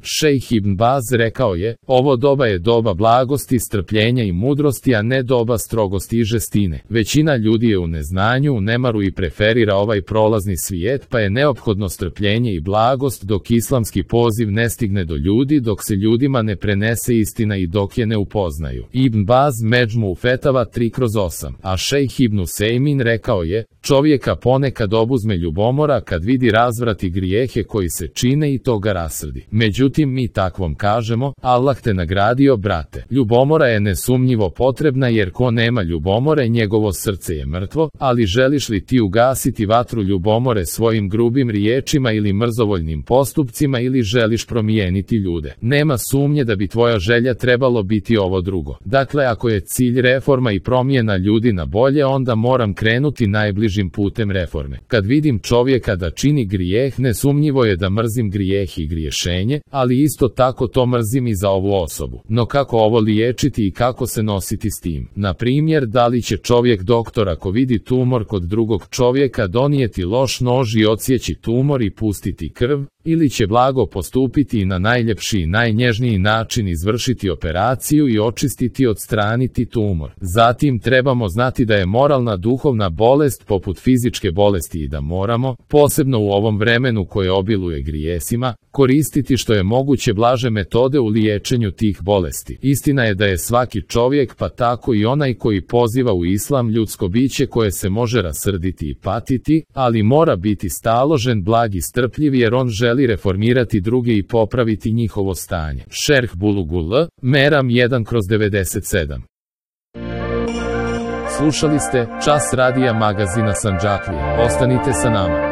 Šejh Ibn Baz rekao je, ovo doba je doba blagosti, strpljenja i mudrosti, a ne doba strogosti i žestine. Većina ljudi je u neznanju, u nemaru i preferira ovaj prolazni svijet, pa je neophodno strpljenje i blagost dok islamski poziv ne stigne do ljudi, dok se ljudima ne prenese istina i dok je ne upoznaju. Ibn Baz Međmu Fetava 3/8. A šejh Ibn Usejmin rekao je, čovjeka ponekad obuzme ljubomora kad vidi razvrat i grijehe koji se čine i to ga rasrdi. Međutim, mi takvom kažemo, Allah te nagradio, brate. Ljubomora je nesumnjivo potrebna jer ko nema ljubomore, njegovo srce je mrtvo, ali želiš li ti ugasiti vatru ljubomore svojim grubim riječima ili mrzovoljnim postupcima ili želiš promijeniti ljude? Nema sumnje da bi tvoja želja trebalo biti ovo drugo. Dakle, ako je cilj reforma i promjena ljudi na bolje, onda moram krenuti najbližim putem reforme. Kad vidim čovjeka da čini grijeh, nesumnjivo je da mrzim grijeh i griješenje, ali isto tako to mrzim i za ovu osobu. No kako ovo liječiti i kako se nositi s tim? Na primjer, da li će čovjek doktor ako vidi tumor kod drugog čovjeka donijeti loš nož i odsjeći tumor i pustiti krv, ili će blago postupiti i na najljepši i najnježniji način izvršiti operaciju i očistiti i odstraniti tumor. Zatim trebamo znati da je moralna duhovna bolest poput fizičke bolesti i da moramo, posebno u ovom vremenu koje obiluje grijesima, koristiti što je moguće blaže metode u liječenju tih bolesti. Istina je da je svaki čovjek, pa tako i onaj koji poziva u islam, ljudsko biće koje se može rasrditi i patiti, ali mora biti staložen, blag i strpljiv jer on želi reformirati druge i popraviti njihovo stanje. Šerh Bulugul Meram 1/97. Slušali ste Čas radija magazina Sandžaklija. Ostanite sa nama.